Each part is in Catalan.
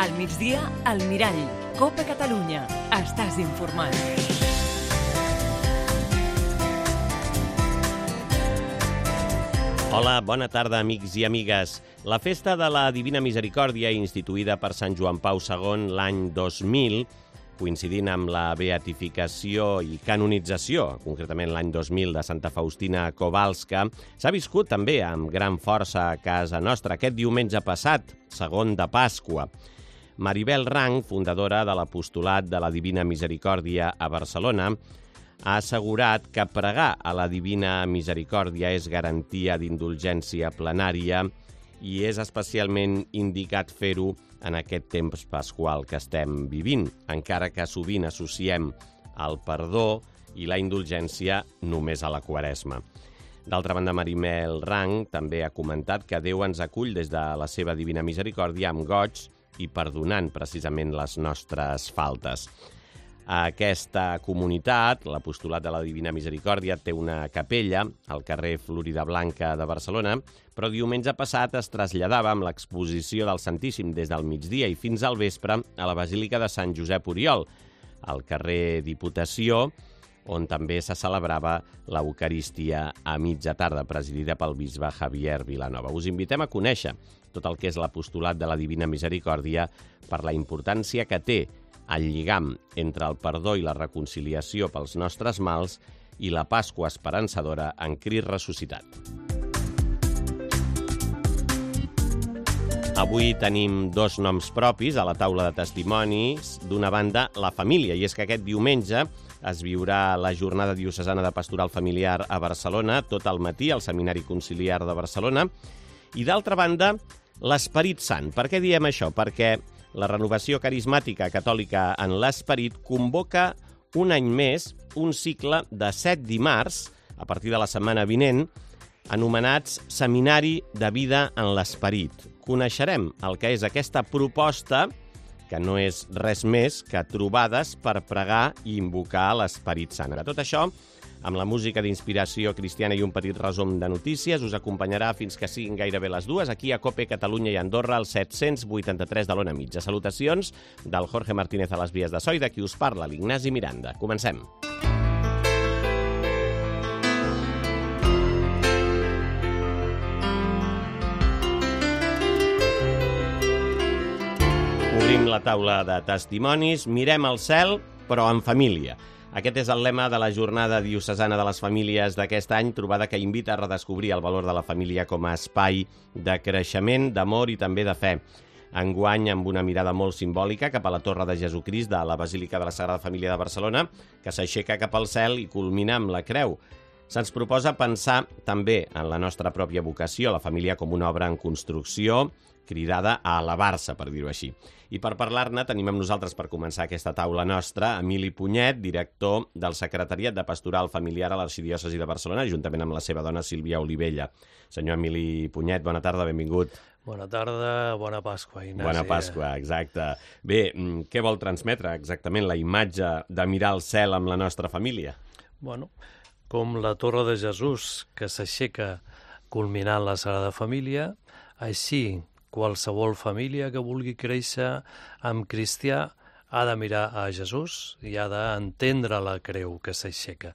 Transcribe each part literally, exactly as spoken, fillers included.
Al migdia, al Mirall. Cope Catalunya. Estàs informat. Hola, bona tarda, amics i amigues. La festa de la Divina Misericòrdia, instituïda per Sant Joan Pau segon l'any dos mil, coincidint amb la beatificació i canonització, concretament l'any dos mil, de Santa Faustina Kowalska, s'ha viscut també amb gran força a casa nostra aquest diumenge passat, segon de Pasqua. Maribel Rang, fundadora de l'Apostolat de la Divina Misericòrdia a Barcelona, ha assegurat que pregar a la Divina Misericòrdia és garantia d'indulgència plenària i és especialment indicat fer-ho en aquest temps pasqual que estem vivint, encara que sovint associem el perdó i la indulgència només a la Quaresma. D'altra banda, Maribel Rang també ha comentat que Déu ens acull des de la seva Divina Misericòrdia amb goig i perdonant precisament les nostres faltes. Aquesta comunitat, l'Apostolat de la Divina Misericòrdia, té una capella al carrer Florida Blanca de Barcelona, però diumenge passat es traslladava amb l'exposició del Santíssim des del migdia i fins al vespre a la Basílica de Sant Josep Oriol, al carrer Diputació, on també se celebrava l'Eucarístia a mitja tarda, presidida pel bisbe Javier Vilanova. Us invitem a conèixer tot el que és l'Apostolat de la Divina Misericòrdia per la importància que té el lligam entre el perdó i la reconciliació pels nostres mals i la Pasqua esperançadora en Crist ressuscitat. Avui tenim dos noms propis a la taula de testimonis. D'una banda, la família, i és que aquest diumenge es viurà la jornada diocesana de pastoral familiar a Barcelona, tot el matí al Seminari Conciliar de Barcelona. I d'altra banda, l'Esperit Sant. Per què diem això? Perquè la Renovació Carismàtica Catòlica en l'Esperit convoca un any més un cicle de set dimarts, a partir de la setmana vinent, anomenats Seminari de Vida en l'Esperit. Coneixerem el que és aquesta proposta, que no és res més que trobades per pregar i invocar l'Esperit Sant. De tot això, amb la música d'inspiració cristiana i un petit resum de notícies, us acompanyarà fins que siguin gairebé les dues, aquí a Cope Catalunya i Andorra, al set-cents vuitanta-tres de l'Ona Mitja. Salutacions del Jorge Martínez a les vies de so i de qui us parla, l'Ignasi Miranda. Comencem. Obrim la taula de testimonis, mirem al cel, però en família. Aquest és el lema de la Jornada Diocesana de les Famílies d'aquest any, trobada que invita a redescobrir el valor de la família com a espai de creixement, d'amor i també de fe. Enguany, amb una mirada molt simbòlica cap a la Torre de Jesucrist de la Basílica de la Sagrada Família de Barcelona, que s'aixeca cap al cel i culmina amb la creu. Se'ns proposa pensar també en la nostra pròpia vocació, la família com una obra en construcció, cridada a elevar-se, per dir-ho així. I per parlar-ne tenim amb nosaltres, per començar aquesta taula nostra, Emili Punyet, director del Secretariat de Pastoral Familiar a l'Arxidiòcesi de Barcelona, juntament amb la seva dona Sílvia Olivella. Senyor Emili Punyet, bona tarda, benvingut. Bona tarda, bona Pasqua, Ignasi. Bona Pasqua, exacte. Bé, què vol transmetre exactament la imatge de mirar al cel amb la nostra família? Bueno, com la Torre de Jesús que s'aixeca culminant la Sagrada Família, així qualsevol família que vulgui créixer amb cristià ha de mirar a Jesús i ha d'entendre la creu que s'aixeca.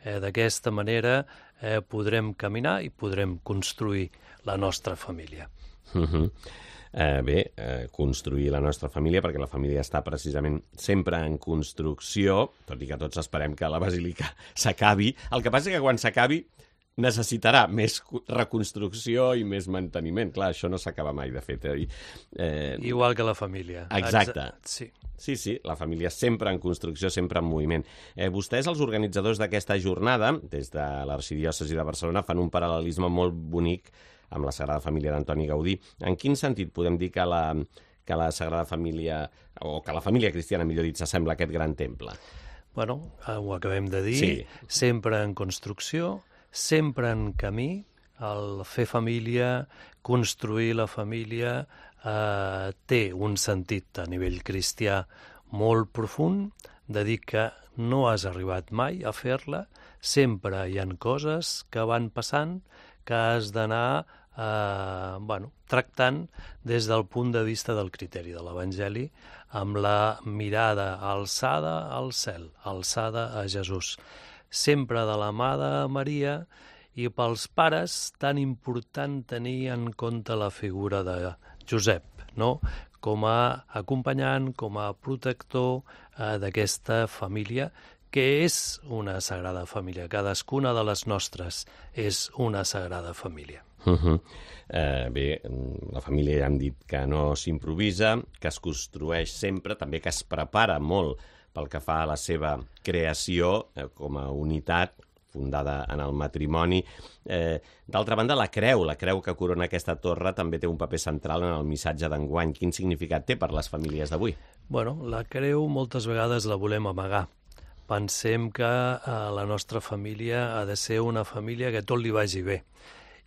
Eh, D'aquesta manera eh, podrem caminar i podrem construir la nostra família. Uh -huh. eh, bé, eh, construir la nostra família, perquè la família està precisament sempre en construcció, tot i que tots esperem que la basílica s'acabi. El que passa és que quan s'acabi necessitarà més reconstrucció i més manteniment. Clar, això no s'acaba mai, de fet. Eh? Eh... Igual que la família. Exacte. Exa sí. Sí, sí, la família sempre en construcció, sempre en moviment. Eh, vostès, els organitzadors d'aquesta jornada, des de l'Arxidiòcesi de Barcelona, fan un paral·lelisme molt bonic amb la Sagrada Família d'Antoni Gaudí. En quin sentit podem dir que la, que la Sagrada Família, o que la família cristiana, millor dit, s'assembla a aquest gran temple? Bueno, ho acabem de dir, sí. Sempre en construcció, sempre en camí, el fer família, construir la família, eh, té un sentit a nivell cristià molt profund, de dir que no has arribat mai a fer-la, sempre hi ha coses que van passant que has d'anar eh, bueno, tractant des del punt de vista del criteri de l'Evangeli, amb la mirada alçada al cel, alçada a Jesús. Sempre de la mà de Maria, i pels pares tan important tenir en compte la figura de Josep, no? Com a acompanyant, com a protector eh, d'aquesta família, que és una sagrada família. Cadascuna de les nostres és una sagrada família. Uh -huh. eh, bé, la família ja hem dit que no s'improvisa, que es construeix sempre, també que es prepara molt pel que fa a la seva creació eh, com a unitat fundada en el matrimoni. Eh, D'altra banda, la creu, la creu que corona aquesta torre també té un paper central en el missatge d'enguany. Quin significat té per les famílies d'avui? Bueno, la creu moltes vegades la volem amagar. Pensem que eh, la nostra família ha de ser una família que tot li vagi bé.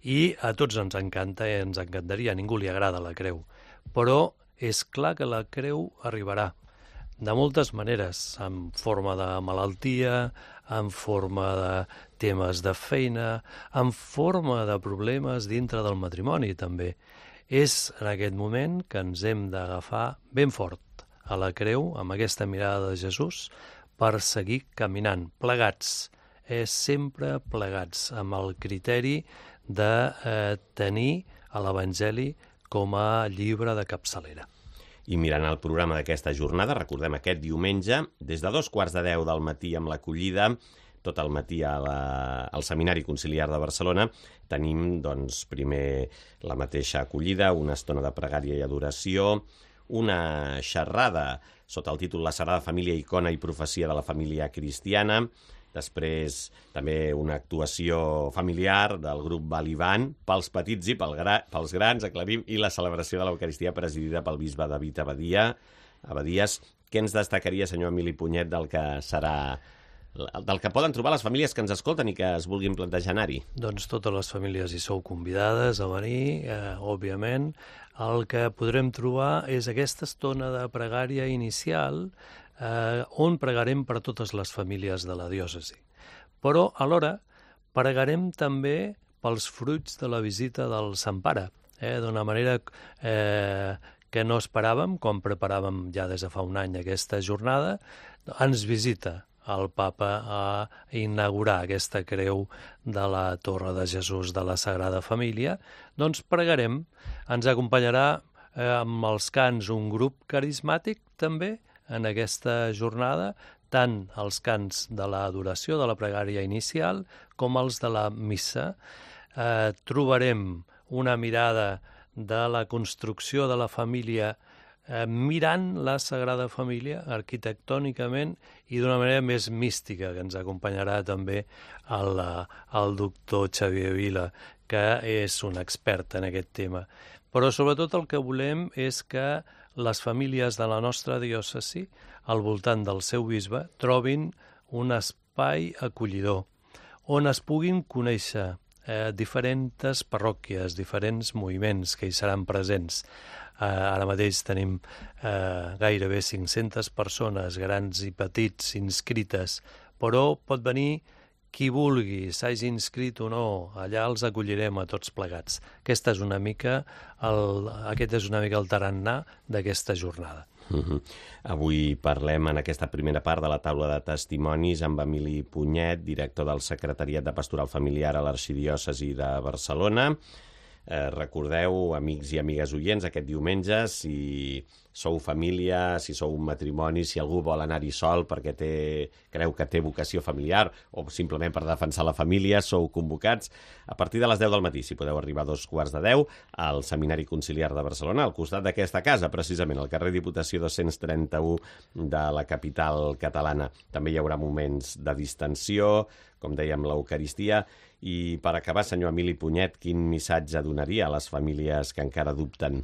I a tots ens encanta i ens encantaria, a ningú li agrada la creu. Però és clar que la creu arribarà de moltes maneres, en forma de malaltia, en forma de temes de feina, en forma de problemes dintre del matrimoni, també. És en aquest moment que ens hem d'agafar ben fort a la creu, amb aquesta mirada de Jesús, per seguir caminant, plegats, eh, sempre plegats, amb el criteri de eh, tenir a l'Evangeli com a llibre de capçalera. I mirant el programa d'aquesta jornada, recordem aquest diumenge, des de dos quarts de deu del matí amb l'acollida, tot el matí a la, al Seminari Conciliar de Barcelona, tenim doncs, primer la mateixa acollida, una estona de pregària i adoració, una xerrada sota el títol La Sagrada Família, icona i profecia de la família cristiana, després també una actuació familiar del grup Balibán pels petits i pel gra, pels grans, aclarim, i la celebració de l'Eucaristia presidida pel bisbe David Abadia, Abadies. Què ens destacaria, senyor Emili Punyet, del que serà, del que poden trobar les famílies que ens escolten i que es vulguin plantejar anar-hi? Doncs totes les famílies hi sou convidades a venir, eh, òbviament. El que podrem trobar és aquesta estona de pregària inicial eh, on pregarem per totes les famílies de la diòcesi. Però, alhora, pregarem també pels fruits de la visita del Sant Pare, eh, d'una manera eh, que no esperàvem, quan preparàvem ja des de fa un any aquesta jornada. Ens visita el papa a inaugurar aquesta creu de la Torre de Jesús de la Sagrada Família. Doncs pregarem, ens acompanyarà eh, amb els cants un grup carismàtic també en aquesta jornada, tant els cants de l'adoració, de la pregària inicial, com els de la missa. Eh, trobarem una mirada de la construcció de la família eh, mirant la Sagrada Família arquitectònicament i d'una manera més mística, que ens acompanyarà també el, el doctor Xavier Vila, que és un expert en aquest tema. Però sobretot el que volem és que les famílies de la nostra diòcesi, al voltant del seu bisbe, trobin un espai acollidor, on es puguin conèixer eh, diferents parròquies, diferents moviments que hi seran presents. Eh, ara mateix tenim eh, gairebé cinc-centes persones, grans i petits, inscrites, però pot venir qui vulgui, s'hagi inscrit o no, allà els acollirem a tots plegats. Aquesta és una mica el, aquest és una mica el tarannà d'aquesta jornada. Uh-huh. Avui parlem en aquesta primera part de la taula de testimonis amb Emili Punyet, director del Secretariat de Pastoral Familiar a l'Arxidiòcesi de Barcelona. Eh, recordeu, amics i amigues oients, aquest diumenge, si sou família, si sou un matrimoni, si algú vol anar-hi sol perquè té, creu que té vocació familiar o simplement per defensar la família, sou convocats a partir de les deu del matí, si podeu arribar a dos quarts de deu, al Seminari Conciliar de Barcelona, al costat d'aquesta casa, precisament, al carrer Diputació dos-cents trenta-u de la capital catalana. També hi haurà moments de distensió, com dèiem, l'Eucaristia. I per acabar, senyor Emili Punyet, quin missatge donaria a les famílies que encara dubten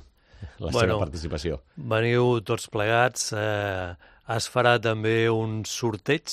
la bueno, seva participació? Veniu tots plegats. Eh, es farà també un sorteig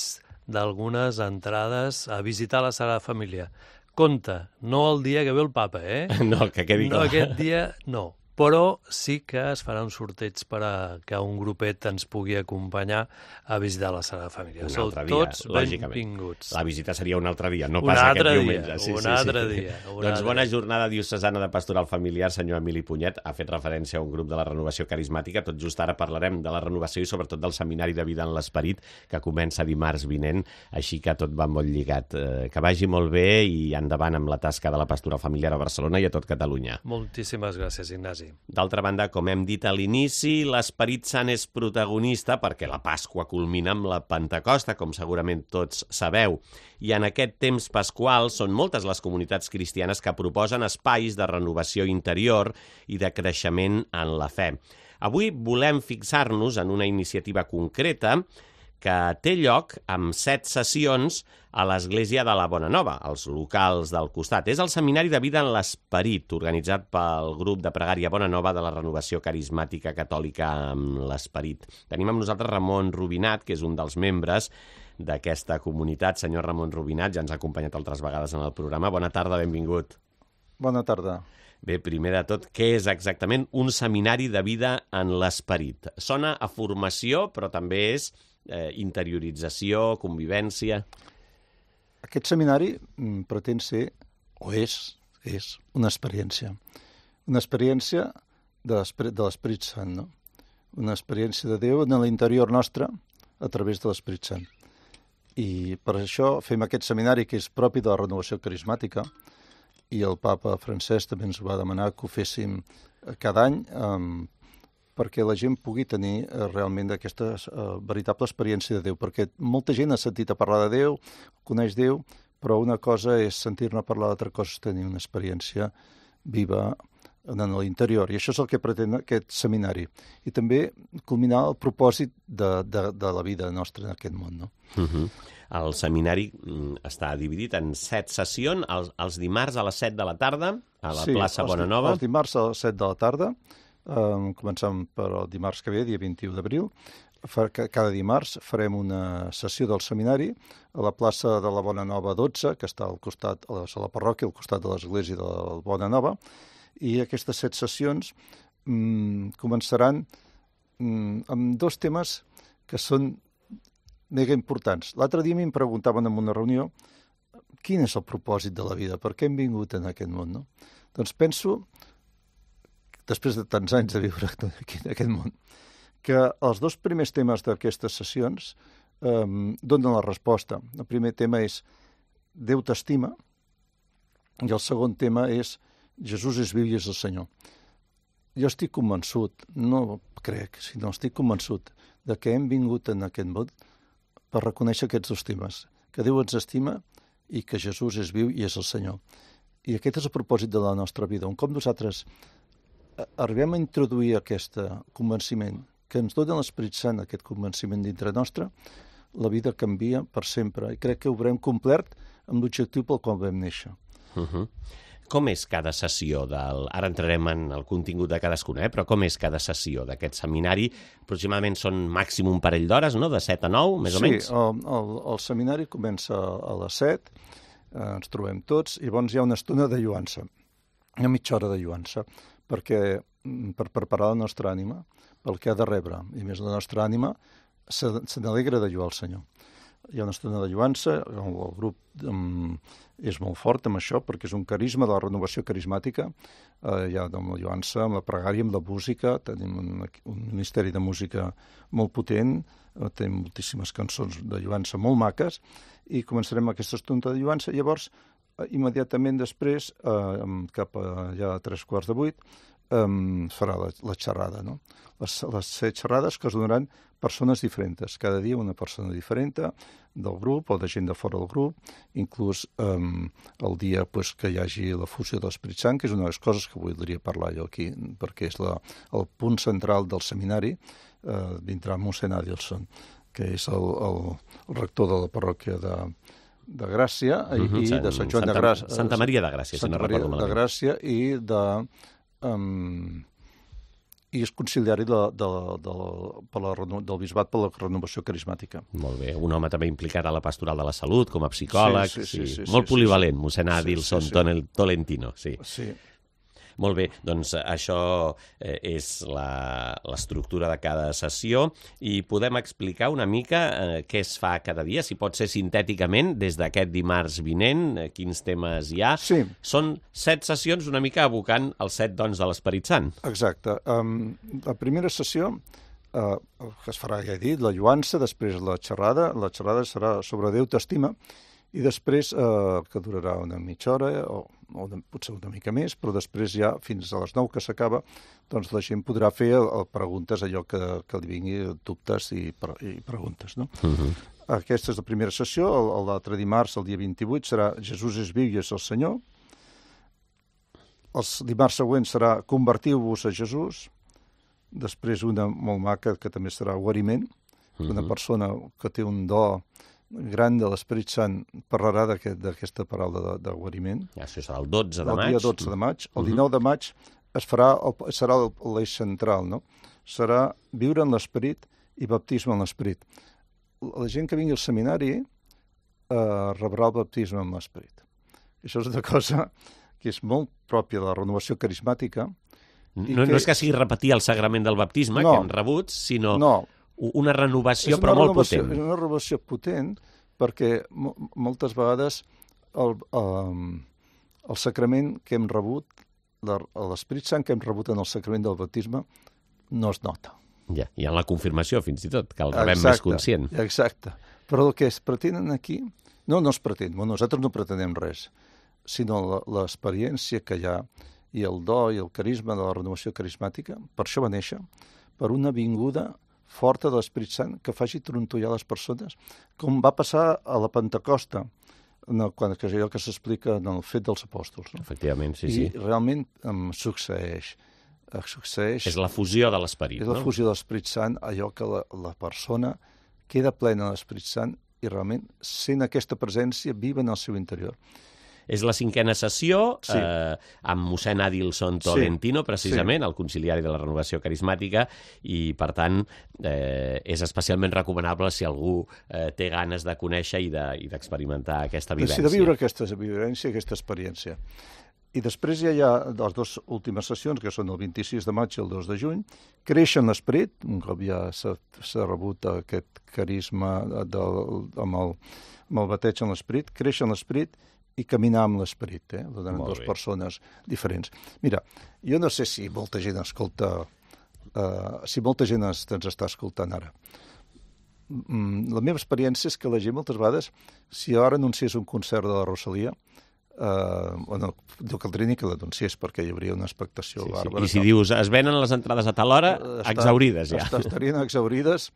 d'algunes entrades a visitar la Sagrada Família. Compte, no el dia que ve el papa, eh? No, que quedi clar. No, aquest dia no. però sí que es farà un sorteig per a que un grupet ens pugui acompanyar a visitar la Sagrada Família. Un Sou altre dia, tots lògicament. benvinguts. La visita seria un altre dia, no Un pas aquest altre diumenge. dia, Sí, un sí, altre sí. dia, un Doncs altre bona dia. jornada diocesana de pastoral familiar, senyor Emili Punyet. Ha fet referència a un grup de la Renovació Carismàtica. Tot just ara parlarem de la renovació i sobretot del Seminari de Vida en l'Esperit, que comença dimarts vinent, així que tot va molt lligat. Eh, que vagi molt bé i endavant amb la tasca de la pastoral familiar a Barcelona i a tot Catalunya. Moltíssimes gràcies, Ignasi. D'altra banda, com hem dit a l'inici, l'Esperit Sant és protagonista perquè la Pasqua culmina amb la Pentecosta, com segurament tots sabeu. I en aquest temps pasqual són moltes les comunitats cristianes que proposen espais de renovació interior i de creixement en la fe. Avui volem fixar-nos en una iniciativa concreta que té lloc amb set sessions a l'Església de la Bona Nova, als locals del costat. És el Seminari de Vida en l'Esperit, organitzat pel grup de pregària Bona Nova de la Renovació Carismàtica Catòlica amb l'Esperit. Tenim amb nosaltres Ramon Rubinat, que és un dels membres d'aquesta comunitat. Senyor Ramon Rubinat, ja ens ha acompanyat altres vegades en el programa. Bona tarda, benvingut. Bona tarda. Bé, primer de tot, què és exactament un seminari de vida en l'esperit? Sona a formació, però també és eh, interiorització, convivència... Aquest seminari mm, pretén ser, o és, és una experiència. Una experiència de l'Esperit Sant, no? Una experiència de Déu en l'interior nostre a través de l'Esperit Sant. I per això fem aquest seminari que és propi de la renovació carismàtica, i el papa Francesc també ens va demanar que ho féssim cada any um, perquè la gent pugui tenir uh, realment aquesta uh, veritable experiència de Déu, perquè molta gent ha sentit a parlar de Déu, coneix Déu, però una cosa és sentir-ne parlar, l'altra cosa és tenir una experiència viva en l'interior, i això és el que pretén aquest seminari. I també culminar el propòsit de, de, de la vida nostra en aquest món, no? Uh-huh. El seminari està dividit en set sessions, els, els dimarts a les set de la tarda, a la sí, plaça els, Bona Nova. Els dimarts a les set de la tarda, um, començant per el dimarts que ve, dia vint-i-u d'abril. Cada dimarts farem una sessió del seminari a la plaça de la Bona Nova dotze, que està al costat, a la parròquia, al costat de l'església de la Bona Nova, i aquestes set sessions um, començaran um, amb dos temes que són mega importants. L'altre dia m'hi preguntaven en una reunió quin és el propòsit de la vida, per què hem vingut en aquest món, no? Doncs penso, després de tants anys de viure aquí en aquest món, que els dos primers temes d'aquestes sessions eh, donen la resposta. El primer tema és Déu t'estima i el segon tema és Jesús és viu i és el Senyor. Jo estic convençut, no crec, sinó estic convençut de que hem vingut en aquest món per reconèixer aquests dos temes, que Déu ens estima i que Jesús és viu i és el Senyor. I aquest és el propòsit de la nostra vida. Un cop nosaltres arribem a introduir aquest convenciment, que ens dona l'Esperit Sant, aquest convenciment dintre nostre, la vida canvia per sempre. I crec que ho haurem complert amb l'objectiu pel qual vam néixer. Uh-huh. Com és cada sessió del... Ara entrarem en el contingut de cadascuna, eh? Però com és cada sessió d'aquest seminari? Aproximadament són màxim un parell d'hores, no? De set a nou, més sí, o menys? Sí, el, el, el seminari comença a les set, eh, ens trobem tots, i llavors hi ha una estona de lluança, una mitja hora de lluança, perquè per preparar la nostra ànima pel que ha de rebre, i més la nostra ànima se, se n'alegra de lluar el Senyor. Hi ha una estona de lluança, el, el grup um, és molt fort amb això, perquè és un carisma de la renovació carismàtica, eh, hi ha amb la lluança, amb la pregària, amb la música, tenim un, un ministeri de música molt potent, eh, tenim moltíssimes cançons de lluança molt maques, i començarem aquesta estona de lluança, i llavors, eh, immediatament després, eh, cap a ja a tres quarts de vuit, Um, farà la, la xerrada, no? Les, les set xerrades que es donaran persones diferents, cada dia una persona diferent del grup o de gent de fora del grup, inclús um, el dia pues, que hi hagi la fusió de l'Esperit Sant, que és una de les coses que voldria parlar jo aquí, perquè és la, el punt central del seminari, uh, vindrà mossèn Adelson, que és el, el, el rector de la parròquia de, de Gràcia, uh-huh, i Sant, de Sant Joan Santa, de Gràcia. Santa Maria de Gràcia, Santa si no Maria recordo malament. de Gràcia i de... Um, i és conciliari de, de, de, per la, del bisbat per la renovació carismàtica. Molt bé. Un home també implicat a la pastoral de la salut, com a psicòleg. Sí, sí, sí, sí, Molt sí, polivalent, sí, mossèn Adelson sí, sí, sí. Tolentino. Sí. Sí. Molt bé, doncs això eh, és la- l'estructura de cada sessió i podem explicar una mica eh, què es fa cada dia, si pot ser sintèticament, des d'aquest dimarts vinent, eh, quins temes hi ha. Sí. Són set sessions una mica evocant els set dons de l'Esperit Sant. Exacte. Um, la primera sessió, uh, que es farà, ja he dit, la lluança, després la xerrada. La xerrada serà sobre Déu t'estima, i després, uh, que durarà una mitja hora, o, o una, potser una mica més, però després ja, fins a les nou que s'acaba, doncs la gent podrà fer uh, preguntes, allò que, que li vingui, dubtes i, pre i preguntes, no? Uh-huh. Aquesta és la primera sessió. L'altre dimarts, el dia vint-i-vuit, serà Jesús és viu i és el Senyor. Els dimarts següents serà Convertiu-vos a Jesús. Després una molt maca, que també serà Guariment. Uh-huh. Una persona que té un do gran de l'Esperit Sant parlarà d'aquesta aquest, paraula de, de guariment. Això serà el dotze de el maig. El dia dotze de maig. El dinou de maig es farà el, serà l'eix central, no? Serà viure en l'Esperit i baptisme en l'Esperit. La gent que vingui al seminari eh, rebrà el baptisme en l'Esperit. Això és una cosa que és molt pròpia de la renovació carismàtica. No, que... no és que sigui repetir el sagrament del baptisme, no, que hem rebut, sinó no. una renovació, una però molt renovació, potent. És una renovació potent perquè mo moltes vegades el, el, el sacrament que hem rebut, l'Esperit Sant que hem rebut en el sacrament del baptisme, no es nota. Ja, i en la confirmació, fins i tot, que el rebem exacte, més conscient. Exacte. Però el que es pretenen aquí, no, no es pretén, nosaltres no pretenem res, sinó l'experiència que hi ha i el do i el carisma de la renovació carismàtica. Per això va néixer, per una vinguda forta de l'Esperit Sant que faci trontollar les persones, com va passar a la Pentecosta, no, quan, que és allò que s'explica en el fet dels apòstols. No? Efectivament, sí, I sí. I realment um, succeeix. succeeix. És la fusió de l'Esperit, És la no? fusió de l'Esperit Sant, allò que la, la persona queda plena de l'Esperit Sant i realment sent aquesta presència viva en el seu interior. És la cinquena sessió, Sí. eh, amb mossèn Adilson Tolentino, Sí. precisament, Sí. el conciliari de la renovació carismàtica, i, per tant, eh, és especialment recomanable si algú eh, té ganes de conèixer i d'experimentar de, aquesta vivència. De viure aquesta vivència, aquesta experiència. I després ja hi ha les dues últimes sessions, que són el vint-i-sis de maig i el dos de juny. Créixer en l'Esperit, un cop ja s'ha rebut aquest carisma del, amb, el, amb el bateig en l'Esperit, créixer en l'Esperit i caminar amb l'Esperit, eh? Donen dues persones diferents. Mira, jo no sé si molta gent escolta, uh, si molta gent ens està escoltant ara. Mm, la meva experiència és que la gent moltes vegades, si ara anunciés un concert de la Rosalia, Uh, bueno, no caldria ni que l'anunciés perquè hi hauria una expectació sí, sí. bàrbara. I si dius, es venen les entrades a tal hora, Està, exaurides ja. Està, estarien exaurides,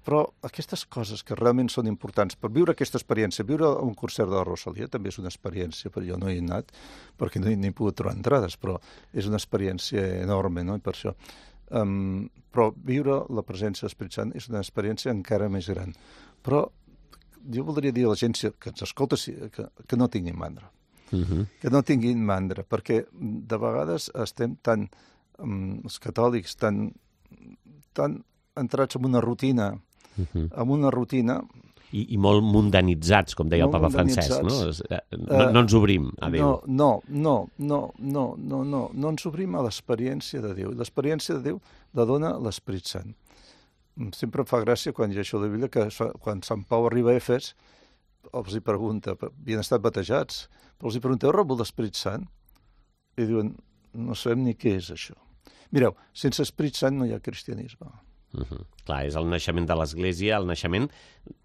però aquestes coses que realment són importants per viure aquesta experiència, viure un concert de la Rosalia també és una experiència, però jo no hi he anat perquè no hi, no hi he pogut trobar entrades, però és una experiència enorme, no? I per això. Um, però viure la presència de l'Esperit Sant és una experiència encara més gran. Però jo voldria dir a la gent que ens escolta que, que no tinguin mandra. Uh-huh. Que no tinguin mandra, perquè de vegades estem tan, um, els catòlics, tan, tan entrats en una rutina, uh-huh. en una rutina... I, i molt mundanitzats, com deia el papa Francesc, no? No, no ens obrim a Déu. No, no, no, no, no, no, no ens obrim a l'experiència de Déu. L'experiència de Déu la dona l'Esperit Sant. Sempre em fa gràcia quan llegeixo la Bíblia que quan Sant Pau arriba a Efes els hi pregunta, havien estat batejats, però els hi pregunta, heu rebut l'Esperit Sant? I diuen, no sabem ni què és això. Mireu, sense Esperit Sant no hi ha cristianisme. Uh-huh. Clar, és el naixement de l'Església, el naixement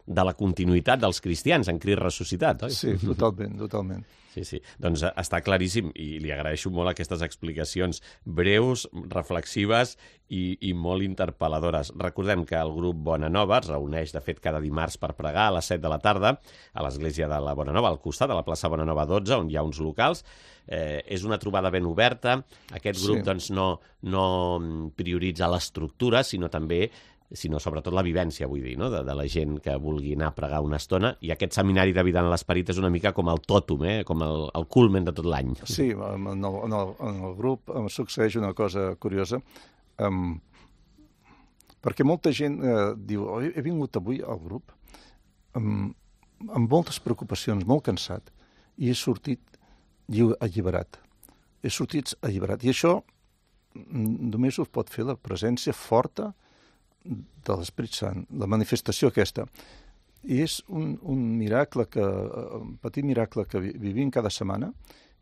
de la continuïtat dels cristians en Crist ressuscitat, oi? Sí, totalment, totalment. Sí, sí. Doncs està claríssim i li agraeixo molt aquestes explicacions breus, reflexives i, i molt interpel·ladores. Recordem que el grup Bona Nova es reuneix, de fet, cada dimarts per pregar a les set de la tarda a l'església de la Bona Nova, al costat de la plaça Bona Nova dotze, on hi ha uns locals. Eh, és una trobada ben oberta. Aquest grup Sí. doncs, no, no prioritza l'estructura, sinó també sinó sobretot la vivència, vull dir, no? de, de la gent que vulgui anar a pregar una estona, i aquest seminari de vida en l'Esperit és una mica com el tòtum, eh? Com el, el culmen de tot l'any. Sí, en el, en, el, en el grup em succeeix una cosa curiosa, um, perquè molta gent eh, diu, oh, he vingut avui al grup um, amb moltes preocupacions, molt cansat, i he sortit alliberat. és sortir alliberat. I això només ho pot fer la presència forta de l'Esperit Sant, la manifestació aquesta. I és un, un miracle, que, un petit miracle que vivim cada setmana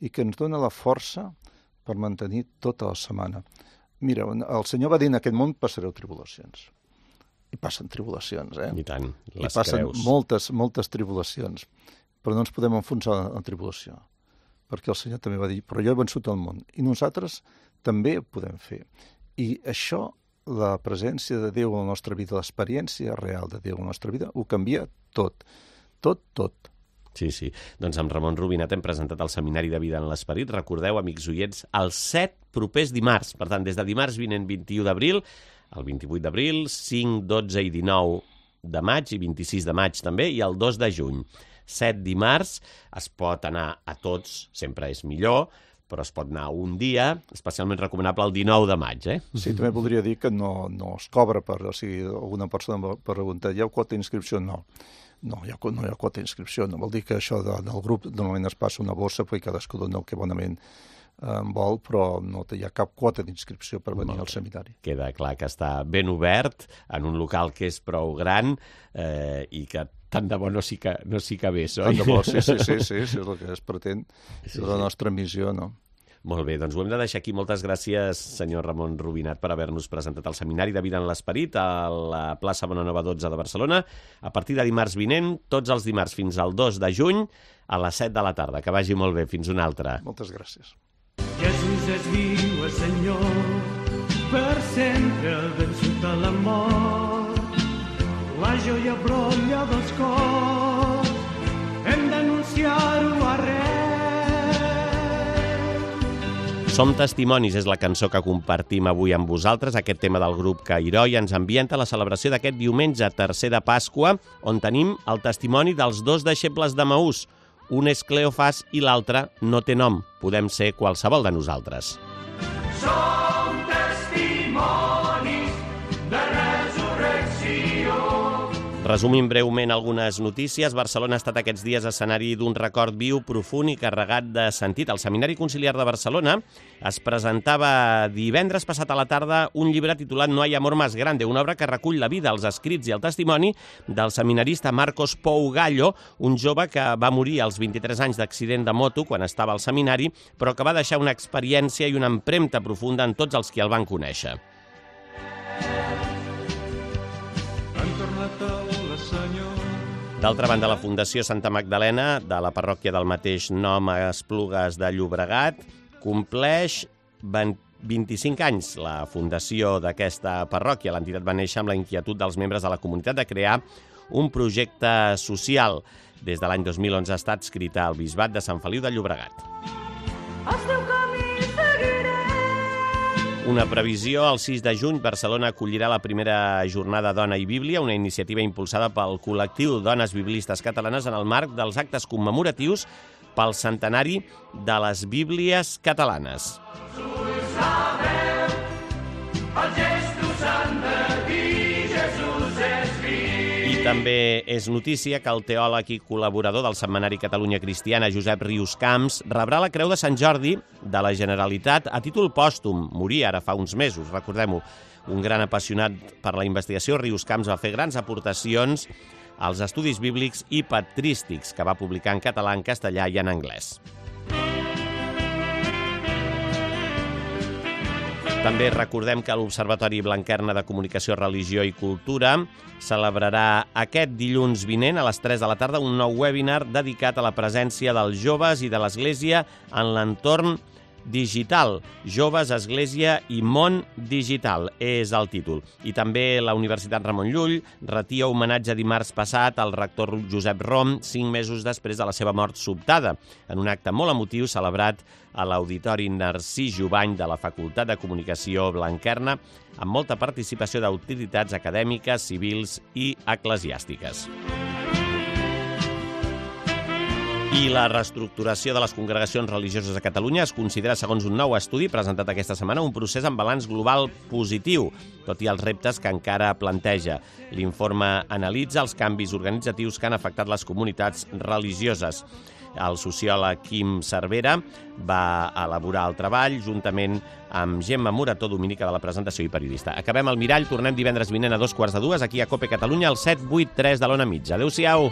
i que ens dona la força per mantenir tota la setmana. Mira, el Senyor va dir, en aquest món passareu tribulacions. I passen tribulacions, eh? I tant, les I passen creus. moltes, moltes tribulacions. Però no ens podem enfonsar en tribulació. Perquè el Senyor també va dir, però jo he vençut el món. I nosaltres també ho podem fer. I això, la presència de Déu a la nostra vida, l'experiència real de Déu a la nostra vida, ho canvia tot. Tot, tot. Sí, sí. Doncs amb Ramon Rubinat hem presentat el Seminari de Vida en l'Esperit. Recordeu, amics oients, els set propers dimarts. Per tant, des de dimarts vinent vint-i-u d'abril, el vint-i-vuit d'abril, cinc, dotze i dinou de maig i vint-i-sis de maig també, i el dos de juny. Set dimarts, es pot anar a tots, sempre és millor, però es pot anar un dia, especialment recomanable el dinou de maig, eh? Sí, també voldria dir que no, no es cobra per, o sigui, alguna persona va preguntar, hi ha quota d'inscripció? No. No, hi ha, no hi ha quota d'inscripció. No vol dir que això de, del grup normalment es passa una bossa perquè cadascú dona el que bonament eh, vol, però no hi ha cap quota d'inscripció per venir al seminari. Queda clar que està ben obert en un local que és prou gran eh, i que tant de bo no s'hi no s'hi cabés, oi? Tant de bo, sí, sí, sí, sí, sí, és el que es pretén, Sí, és la nostra missió, no? Molt bé, doncs ho hem de deixar aquí. Moltes gràcies, senyor Ramon Rubinat, per haver-nos presentat el Seminari de Vida en l'Esperit a la plaça Bonanova dotze de Barcelona. A partir de dimarts vinent, tots els dimarts fins al dos de juny, a les set de la tarda. Que vagi molt bé. Fins una altra. Moltes gràcies. Jesús és viu, és Senyor, per sempre el vençut a la mort. La joia brolla dels cors, hem d'anunciar-ho arreu. Som testimonis és la cançó que compartim avui amb vosaltres. Aquest tema del grup Cairoi ens ambienta la celebració d'aquest diumenge tercer de Pasqua, on tenim el testimoni dels dos deixebles d'Emaús. Un és Cleofas i l'altre no té nom. Podem ser qualsevol de nosaltres. Som testimonis de resurrecció. Resumim breument algunes notícies. Barcelona ha estat aquests dies escenari d'un record viu, profund i carregat de sentit. Al Seminari Conciliar de Barcelona es presentava divendres passat a la tarda un llibre titulat No hay amor más grande, una obra que recull la vida, els escrits i el testimoni del seminarista Marcos Pou Gallo, un jove que va morir als vint-i-tres anys d'accident de moto quan estava al seminari, però que va deixar una experiència i una empremta profunda en tots els que el van conèixer. D'altra banda, la Fundació Santa Magdalena, de la parròquia del mateix nom a Esplugues de Llobregat, compleix vint-i-cinc anys. La fundació d'aquesta parròquia, l'entitat va néixer amb la inquietud dels membres de la comunitat de crear un projecte social. Des de l'any dos mil onze ha estat adscrita al Bisbat de Sant Feliu de Llobregat. El teu camí seguiré. Una previsió, el sis de juny, Barcelona acollirà la primera jornada Dona i Bíblia, una iniciativa impulsada pel col·lectiu Dones Biblistes Catalanes en el marc dels actes commemoratius pel centenari de les Bíblies catalanes. I també és notícia que el teòleg i col·laborador del Setmanari Catalunya Cristiana, Josep Rius Camps, rebrà la Creu de Sant Jordi de la Generalitat a títol pòstum. Morí ara fa uns mesos, recordem-ho. Un gran apassionat per la investigació, Rius Camps va fer grans aportacions als estudis bíblics i patrístics que va publicar en català, en castellà i en anglès. També recordem que l'Observatori Blanquerna de Comunicació, Religió i Cultura celebrarà aquest dilluns vinent a les tres de la tarda un nou webinar dedicat a la presència dels joves i de l'Església en l'entorn digital. Joves, Església i món digital és el títol. I també la Universitat Ramon Llull retia homenatge dimarts passat al rector Josep Rom, cinc mesos després de la seva mort sobtada, en un acte molt emotiu celebrat a l'Auditori Narcís Jubany de la Facultat de Comunicació Blanquerna, amb molta participació d'autoritats acadèmiques, civils i eclesiàstiques. I la reestructuració de les congregacions religioses a Catalunya es considera, segons un nou estudi presentat aquesta setmana, un procés amb balanç global positiu, tot i els reptes que encara planteja. L'informe analitza els canvis organitzatius que han afectat les comunitats religioses. El sociòleg Quim Cervera va elaborar el treball juntament amb Gemma Morató, dominica de la presentació i periodista. Acabem el Mirall, tornem divendres vinent a dos quarts de dues, aquí a COPE Catalunya, al set vuit tres de l'Ona Mitja. Adéu-siau!